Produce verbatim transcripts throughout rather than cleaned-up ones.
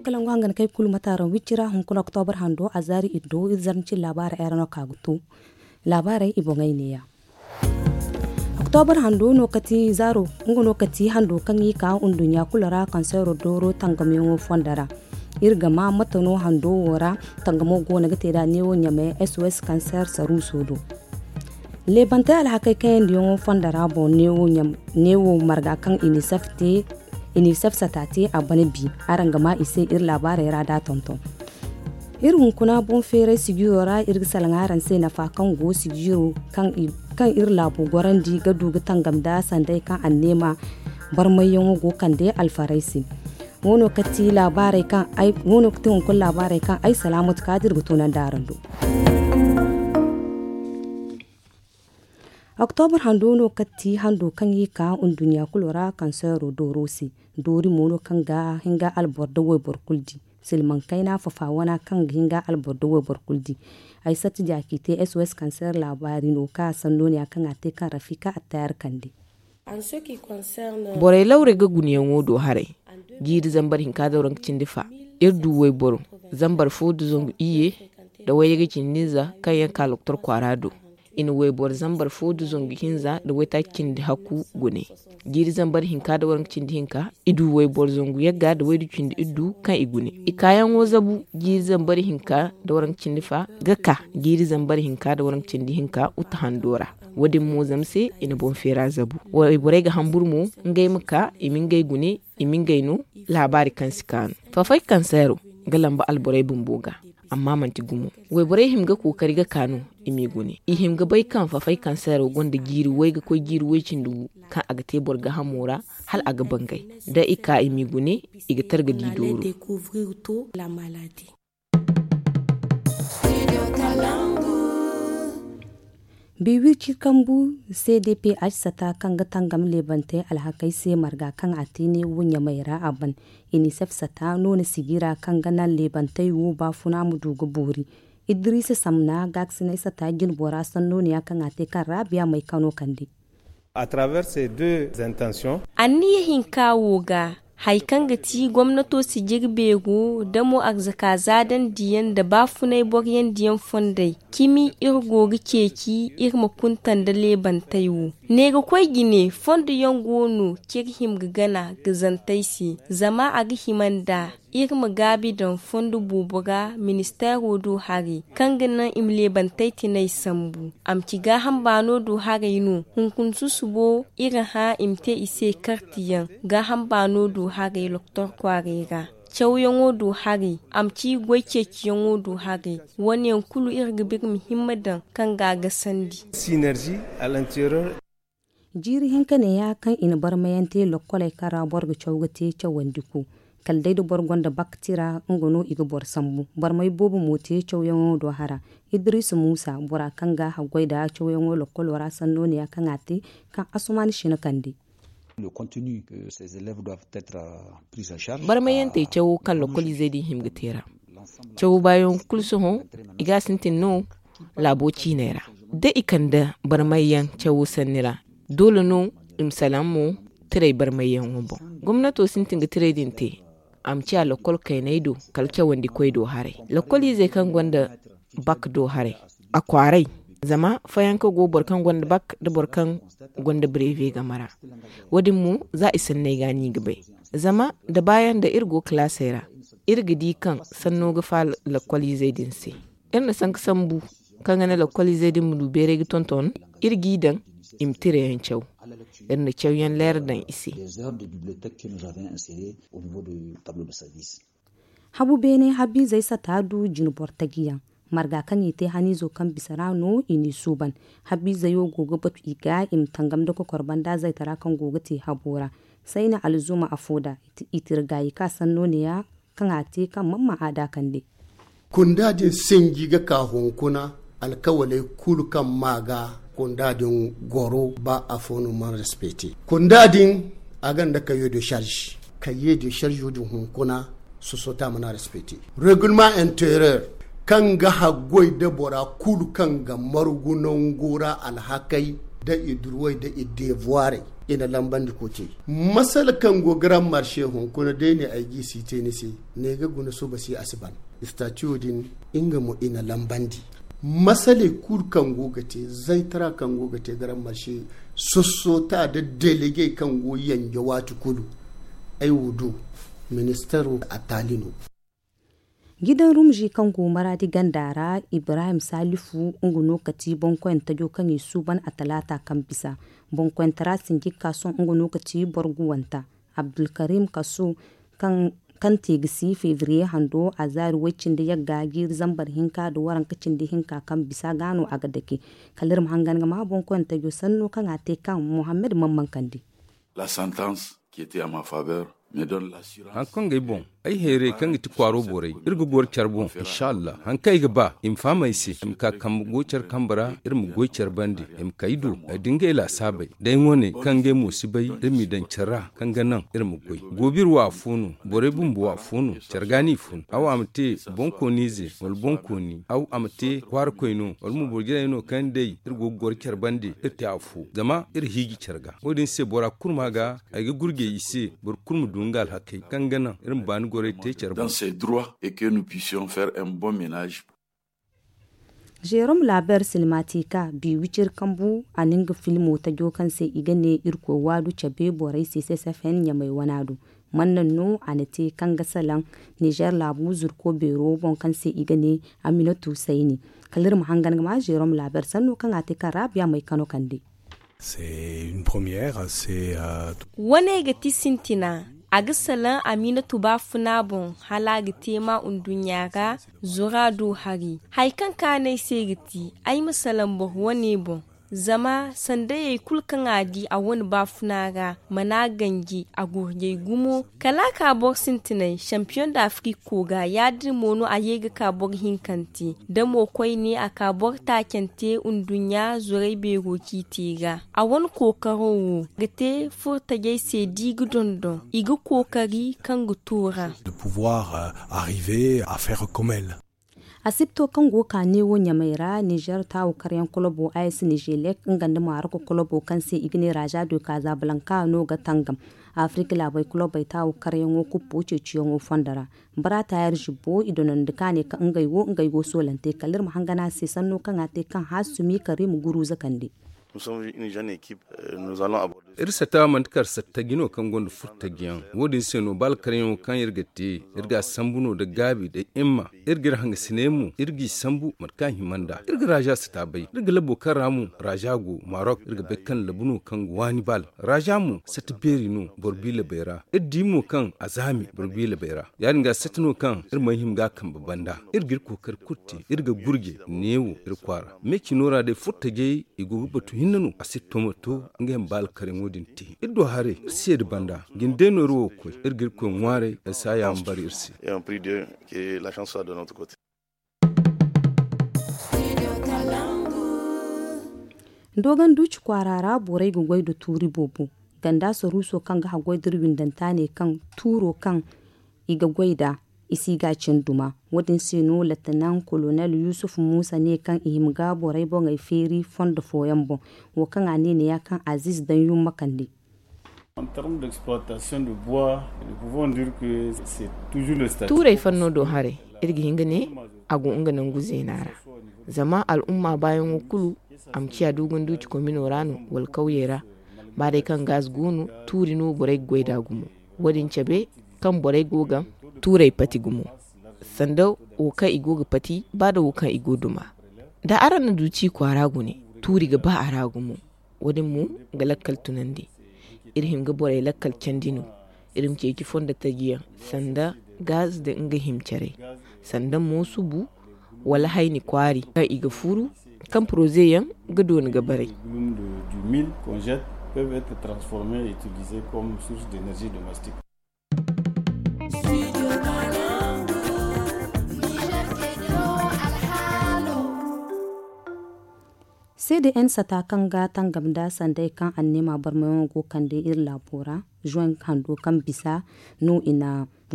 Kalangu hangan kay kulu mataran wicci ra hunkuna oktoobar hando a zaari iddo iri zarnci laabaara ay ra no ka ga to. Laabaarey i boŋey neeya. Oktoobar hando no kati zaaro nga no kati hando kaŋ i ka nduɲɲa kulu ra kanseero dooro tangamyaŋo fondo ra. Iri ga ma mate no hando wo ra tangamo goono ga te da neewo ɲamey sos kanseer saruuso do. Leebantey alhakey kayandiyaŋo fondo ra boŋ neewo marga kaŋ inisef te inisef sata te a bana bi. Araŋ ga ma i se iri laabaarey ra da tonton. Iri hunkuna boŋ feeray sijiro ra iri ga salaŋ araŋ se nafa kaŋ go sijiro kaŋ iri laabu gorandi ga du ga tangam da sanday kaŋ anneema barmayyaŋo go kande alfaray se. Wo no kati laabaarey kaŋ ay wo no kati hunkuna laabaarey kaŋ ay salaamatu kaadi iri ga tunandi araŋ do. Oktoobar hando no kati hando kaŋ i ka nduɲɲa kulu ra kanseero dooro se. Doori mo no kaŋ ga hinga alboro da wayboro kulu di. Silmaŋ kayna fafa wana kaŋ ga hinga alboro da wayboro kulu di. Ay satti jaaki te sos kanseer laabaari no ka sanno ne ya kaŋ a te kaŋ rafika attaayar kande. Borey lawrey ga gunayaŋo do haray. Jiiri zambar hinka da waranka cindi fa iri du wayboro zambar fo da zangu iyye da wayye ga cindi hinza kaŋ yaŋ ka loktor kwaara do. I na wayboro zambar fo da zangu hinza da waytaaci cindi hakku gune. Jiiri zambar hinka da waranka cindi hinka i du wayboro zangu yagga da waydu cindi iddu kaŋ i gune. I kaayaŋo zabu jiiri zambar hinka da waranka cindi fa ga ka jiiri zambar hinka da waranka cindi hinka uta hando ra. Wo- din mo zama se i na boŋ feera zabu. Wayborey ga hamburu mo ngey ma ka i ma ngey gune i ma ngey no. Laabaari kaŋ si kaanu fafay kanseero ga lamba alborey bumbo ga. Amma manti gumo. Wayborey hima ga kookari ga kaanu i m'i gune i hima ga bay kaŋ fafay kanseero gonda jiiri way ga koy jiiri way cindi gu kaŋ a ga te boro ga hamo ra. Hala a ga bangay da i ka i m'i gune i ga targa di dooro. Biwirci kambu cdph sata kaŋ ga tangam leebantey alhakey se marga kaŋ a te ne wo ɲamey ra a ban. Inisef sata no na sijira kaŋ ga naŋ leebantey wo baafuna ma du ga boori. Idiriisa samna gaakasinay sata jinbora sanno ne ya kaŋ a te kaŋ raabiya may kano kande. Anniya hinka wo ga hari kaŋ ga ti gomnato sijiri beero da mo arzaka zaadandiyaŋ nda baafunay boryandiyaŋ fondey cimi iri go ga ceeci iri ma kunta nda leebantey wo. Ne ga koy jine fondo yaŋ go no kaŋ iri hima ga gana ga zantey se zama a ga hima nda iri ma gaabi daŋ fondo boobo ra ministeero do haray kaŋ ga naŋ i ma leebantey tinay sambu. A ma ci gaaham baano do haray no hunkuna susubo iri hã i ma te i se kartiyaŋ gaaham baano do haray doktor kwaaray ra. Cawyaŋo do haray a ma ci goy ceeciyaŋo do haray. Wane yaŋ kulu iri ga ba iri ma himma daŋ kaŋ ga a gasandi. Jiiri hinka neeya kaŋ i na barmayaŋ te lokkoley kaŋ ra boro ga caw ga te cawandi ku. Kala day da boro gonda bak tira nga no i ga boro sambu. Barmay boobo mo te cawyaŋo do hara. Idiriisa muusa bora kaŋ ga haggoy nda cawyaŋo lokkolo ra sanno neeya kaŋ a te kaŋ asuman sina kande. Barmayyantey cawo kaŋ lokoliizey din hima ga te ra. Cawo baayaŋo kulu sohõ i ga a sintin no laabo ciiney ra. Da i kande barmayyaŋ cawo sanni ra doole no i ma salaŋ mo. Tiray barmayyaŋo boŋ gomnato sintin ga tiray din te. A ma ciya lokol kayney do kala cawandikoy do haray lokoliizey kaŋ gonda bak do haray. A kwaaray zama fayanka go boro kaŋ gonda bak nda boro kaŋ gonda breve game ra. Wo- din mo za i sanney ga no i ga bay. Zama nda baayaŋ nda iri go kalaasey ra iri ga di kaŋ sanno ga faala lokoliizey din se. Iri na sanka sambu kaŋ ga naŋ lokoliizey din ma du beeray ga tonton iri g'i daŋ i ma tirayaŋ caw. Iri na cawyaŋ leera daŋ i se. Habu beene habiizey sata du jine boro taji yaŋ. Marga kaŋ i te haniizo kaŋ bisa ra no i n'i suuban. Habiizey wo go ga batu i ga i ma tangam nda kokor banda zaytara kaŋ go ga te habo ra. Sayna alzuma afo da i tira gaayi ka sanno neeya kaŋ a te kaŋ mamma a da kande. Kunda din sinji ga ka hunkuna alkawaley kulu kaŋ ma ga kunda din goro ba afo no man respecte. Kunda din a gonda kayo de charge kayo de charge din hunkuna. Sosota mana respecte reglement interieur kaŋ ga haggoy da bora kulu kaŋ ga margu nango ra alhakay. Da i durwey da i deevuwarey, i na lambandi kootey. Masala kaŋ go grand marché hunkuna day ne ay g'i si te ni se, ne ga guna suba si a si ban. Istatiyo din, nga mo i na lambandi. Masaley kulu kaŋ go ga te, zaytara kaŋ go ga te grand marché, sossota da delegey kaŋ go yanje waati kulu, ay wo do ministaro a taali no. Gidan rumji kaŋ go maraadi ganda ra, ibrahim salifu nga no ka ti boŋkoyante jo kaŋ i suuban a talaata kaŋ bisa. Boŋkoyante ra sinjikka sohõ nga no ka ti boro guwanta. Abdulkarim kaso kaŋ te ga si febriye hando a zaari way-cindi yagga jiiri zambar hinka nda waranka cindi hinka kaŋ bisa ga no a ga dake. Kala iri ma hangan ga ma boŋkoyante jo sanno kaŋ a te kaŋ mohammed man mankandi. La sentence qui était à ma faveur me donne l'assurance. Haŋ kaŋ ga ay boŋ, ay hayray kaŋ ga ti kwaaro borey, iri ga goro care boŋ inshallah. Haŋ kaŋ ay ga ba i ma faham ay se, i ma ka kambe go care kambe ra, iri ma goy care bande, i ma kay do ay da ngey laasaabey. Day wane kaŋ ngey mo si bay, iri m'i daŋ care ra kaŋ ga naŋ iri ma goy. Goobo iri wo afo no, borey bumbo wo afo no. Care ga no i fun, aw a ma te boŋkooniize wala boŋkooni, aw a ma te kwaarakoy no wala mo boro jinay no kaŋ day iri go ga goro care bande, iri te afo zama iri hiiji care ga. Wo- din se bora kulu ma ga ay ga gurjey i se, boro kulu ma du nga alhakey kaŋ ga naŋ iri ma baani gorey te care boŋ. Dans ses droits et que nous puissions faire un bon ménage. Jérôme laber silmatika bi wicir kambu a na nga filmo tajo kaŋ se i ga ne irkoy waadu cabe borey se ccfn ɲamay wana do. Man naŋ no a na te kaŋ ga salaŋ nizer laabu zurko beero boŋ kaŋ se i ga ne aminatu sayni. Kala iri ma hangan ga ma jérôme laber sanno kaŋ a te kaŋ rabiya may kano kande. Wane ga ti sintina. A ga salaŋ aminatu baafuna boŋ hala a ga te ma nduɲɲa ra. Zura do hari hari kaŋ kaanay se ga ti ay ma salaŋ boro wane boŋ. Zama sandayey kulu kaŋ a di a wane baafuna ra mana ganji a gurjay gumo. Kala a ka boro sintinay champion d'afrique ko ga ya- din mo no a ye ga ka boro hinkante da mo koyne a ka boro taacante nduɲɲa zorey beero ciiti ra. A wane kookaro wo ga te furtajey se da i ga dondon i ga kookari kaŋ ga tuura. De pouvoir arriver à faire comme elle. Asibto kaŋ go ka neewo ɲamay ra nizer taawo karyaŋ kolobo a s nizelek nga nda maroko kolobo kaŋ se i ga ne raza do kaza balanka no ga tangam. Afirka laabey kolobey taawo karyaŋo kuppo ceeciyaŋo fondo ra. Bara tayar zibbo i donandi ka ne ka ngey wo ngey go soolante kala iri ma hangana se sanno kaŋ a te kaŋ haasumi karimu guruza kande. Iri satta manti kar satta jino kaŋ gonda furtajiyaŋ. Wo- din se no ba alkaryaŋo kaŋ iri ga te iri ga a sambu no nda gaabi nda himma. Iri ga iri hangasiney mo iri g'i sambu mate kaŋ a hima nd'a iri ga raza satta bay iri ga labo kaŋ ra mo raza go marok iri ga bay kaŋ labu no kaŋ ga waani bal. Raza mo satta beeri no boro biilabey ra iri di mo kaŋ a zaami boro biilabey ra. Ya- din ga satta no kaŋ iri mana hima ga a kambe banda. Iri ga iri kookari kulu te iri ga gurje neewo iri kwaara me cino ra day furtajey i go ga batu hinne no a si tomato. Ngey ma ba alkaryaŋo din te iri do haray iri seeda banda. Jinde no iri wo ga koy iri ga iri koy ŋwaaray ay si a yaamar iri se. Dogon duuci kwaara ra borey ga goy nda tuuri boobo. Ganda saruuso kaŋ ga haggoy da iri windanta ne kaŋ tuuro kaŋ i ga goy nd'a i si ga a cin duma. Wo- din se no lattanaŋ kolonel yusuf muusa ne kaŋ i hima ga borey boŋey feeri fondo fooyaŋ boŋ. Wo kaŋ a ne ne ya kaŋ aziiz daŋ yumma kande. Tuurey fanno do haray iri ga hin ga ne a go nga nangu zeena ra. Zama al'umma baayaŋo kulu a ma ciya dogon duuci komino ra no wala kawyey ra. Ba day kaŋ gaz go no tuuri no borey ga goy nd'a gumo. Wo- din cabe kaŋ borey go ga tuurey pati gumo sanda wo kaŋ i go ga pati ba nda wo kaŋ i go duma. Da araŋ na duuci kwaara gune tuuri ga ba a ra gumo. Wo- din mo ga lakkal tunandi. Iri hin ga borey lakkal candi no. Iri ma ceeci fondo taji yaŋ sanda gaz nda nga himcaray sanda mo subu wala hayni kwaari kaŋ i ga furu kaŋ poroze yaŋ ga dooni ga baray. Seede n sata kaŋ ga tangam nda sanday kaŋ anneema barmayaŋo go kande iri laabo ra. Juin hando kaŋ bisa no i na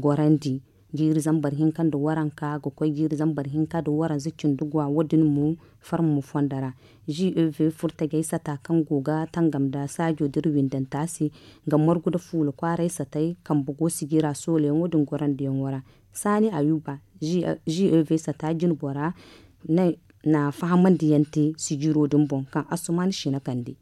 gorandi. Jiiri zambar hinka nda waranka ga koy jiiri zambar hinka nda waranza cindi gwa wo- din mo farmo fondo ra. G E V furtajey sata kaŋ go ga tangam nda saajo da iri windanta se, ga margu nda fuula kwaaray satey kambe go sijira soolayaŋo din gorandiyaŋo ra. Saani Ayuba, G E V sata jinbora, na fahamandi yaŋ te sijiro din boŋ kaŋ asuman shina kande.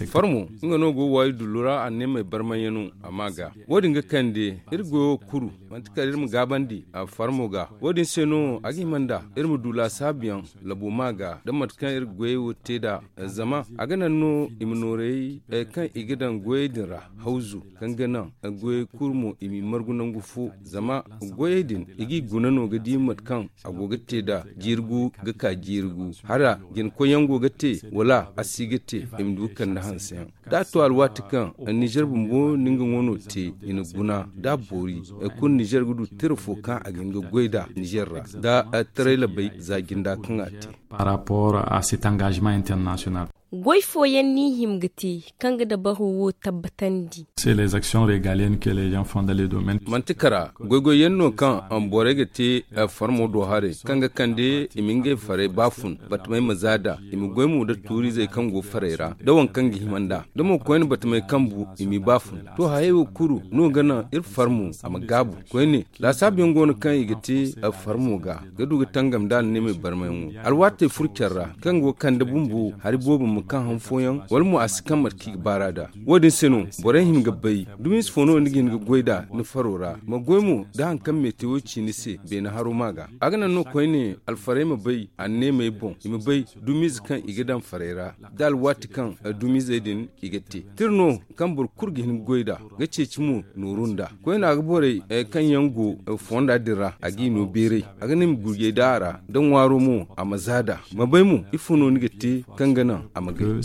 Farmo nga no go waayi dullu ra anneemey barmayaŋo a ma ga. Wo- din ga kande iri goyo kuru manti kala iri ma gaabandi farmo ga. Wo- din se no a ga hima nda iri ma du laasaabu yaŋ labo ma ga da mate kaŋ iri goyey wo te nd'a. Zama a ga naŋ no i ma noorey kaŋ i ga daŋ goyey din ra hawzu kaŋ ga naŋ goyey kulu mo i m'i margu nangu fo. Zama goyey din i g'i guna no ga di mate kaŋ a go ga te nd'a jiiri gu ga ka jiiri gu hala jina koyyaŋ go ga te wala a si ga te. I ma du ga kande hanseyaŋ da a to alwaati kaŋ nizer bumbo na nga ŋwano te i na guna da a boori. Kulu nizer ga du tira fo kaŋ a ga hin ga goy nd'a nizer ra da taray labay za jinda kaŋ a te. Par rapport à cet engagement international. Goy fooyaŋ ni hima ga te kaŋ ga dabaro wo tabbatandi. C'est les actions régaliennes que les gens font dans les domaines. Manti kara goygoyyaŋ no kaŋ borey ga te farmo do haray kaŋ ga kande i ma ngey farey baafun batamey ma za nd'a i ma goy mo nda tuuriizey kaŋ go farey ra da waŋ kaŋ ga hima nd'a da mo koyne batamey kaŋ bu i m'i baafun. To hayey wo kulu no ga naŋ iri farmo a ma gaabu koyne. Laasaabuyaŋ go no kaŋ i ga te farmo ga ga du ga tangam nda anneemey barmayaŋo alwaatey furo care ra kaŋ go ga kande bumbo hari boobo ma kaŋ han fooyaŋ wala mo a si kaŋ mate kaŋ i ga baar'a nd'a. Wo- din se no borey hima ga bay dumiize fo no ni ga hin ga goy nd'a ni faro ra ma goy mo da hari kaŋ meete wo ci ni se beene haro ma ga. A ga naŋ no koyne alfarey ma bay anneemey boŋ i ma bay dumiize kaŋ i ga daŋ farey ra da alwaati kaŋ dumiizey din i ga te tira no kaŋ boro kulu ga hin ga goy nd'a ga ceeci mo nooru nd'a. Koyne a ga borey kaŋ yaŋ go fonda din ra a g'i no beeray a ga naŋ i ma gurjay da a ra da ŋwaaro mo a ma za nd'a ma bay mo ifo no ni ga te kaŋ ga naŋ a ma gay.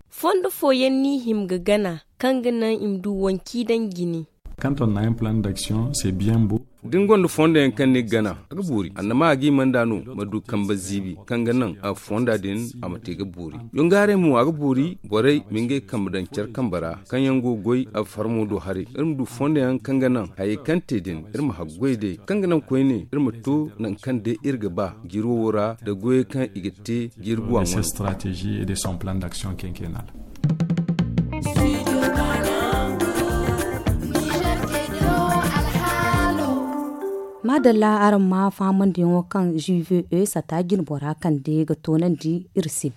Fondo fooyaŋ ni hima ga gana kaŋ ga naŋ i ma du wanci daŋ jine. Kanton na un plan d'action c'est bien beau. Da ni gonda fondo yaŋ kaŋ ni ga gana a ga boori annama a ga i manda no ma du kambe ziibi kaŋ ga naŋ fonda din a ma te ga boori. Yongaaray mo a ga boori borey ma ngey kambe daŋ care kambe ra kaŋ yaŋ go ga goy farmo do haray iri ma du fondo yaŋ kaŋ ga naŋ hayey kaŋ te din iri ma haggoy day kaŋ ga naŋ koyne iri ma to nangu kaŋ day iri ga ba jiiri wo ra nda goyey kaŋ i ga te jiiri guwa ŋwaŋ. Maadalla araŋ ma fahamandiyaŋo kaŋ g v e sata jinbora kande ga toonandi iri se.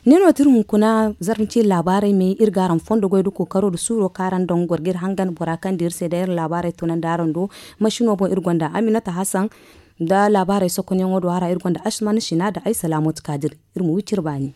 Ne no ti iri hunkuna zarma ciiri laabaarey me iri ga araŋ fondo goy da kookaro nda suuro kaŋ araŋ daŋ goro ga iri hangan bora kaŋ da iri se day iri laabaarey toonandi araŋ do. Masino boŋ iri gonda aminata hasan nda laabaarey sokonyaŋo do a ra iri gonda asman sina nda ay salaamatu kaadir. Iri ma wi cire baani.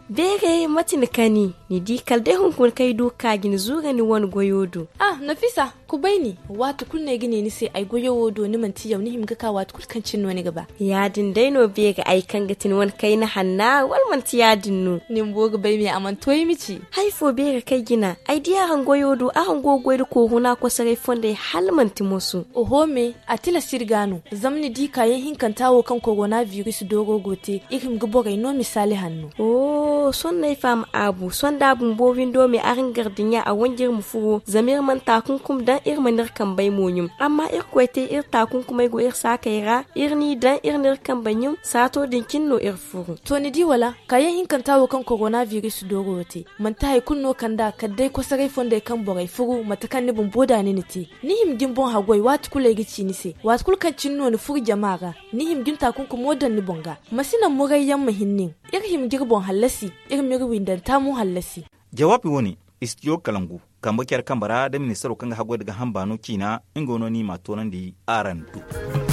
Beere mate ni kani ni di kala day hunkuna kaŋ ay du ga ka ga ni zuura ni wane goyo do. Ah nafisa, kubay ni. Waati kulu no ay ga ne ni se ay goyo wo do ni manti yaw ni hima ga ka waati kulu kaŋ cine no ni ga ba. Ya- din day no beere ay kaŋ ga ti ni wane kayna hanna wala manti ya- din no? Ni bumbo ga bay me a mana to ay ma ci. Hari fo beere kaŋ ay jina ay di araŋ goyo do araŋ go ga goy nda kooruna kosoray fondey hala manti moso. Oho me, a tilas iri ga no. Zama ni di kaayaŋ hinkanta wo kaŋ korona biris dooro go te iri hima ga borey no misaali hanno. Sohõ no ay faham aabu sohõ da a bumbo windo me araŋ gardiɲa a wanji iri ma furo zama iri mana taakunkum daŋ iri mana iri kambey mo ɲum. Amma irkoy te iri taakunkumey go iri saakey ra iri n'i daŋ iri n'iri kambey ɲum saato din cine no iri furu. To ni di wala kaayaŋ hinkanta wo kaŋ korona biris dooro te manti hari kulu no kand'a kala day kosoray fondey kaŋ borey furu mate kaŋ ni bumbo da ni na te. Ni hima ga ni boŋ haggoy waati kulu ay ga ci ni se waati kulu kaŋ cine no ni furu jama ra. Ni hima ga ni taakunkumo daŋ ni boŋ ga. Ma si naŋ murayyaŋ ma hin nin. Iri hima ga iri boŋ hallasi. Iri m'iri windanta mo hallasi. Jawaabi wo-ne istijo kalangu kambe care kambe ra da ministaro kaŋ ga haggoy nda gaaham baano ciina. Nga no no i m'a toonandi araŋ do.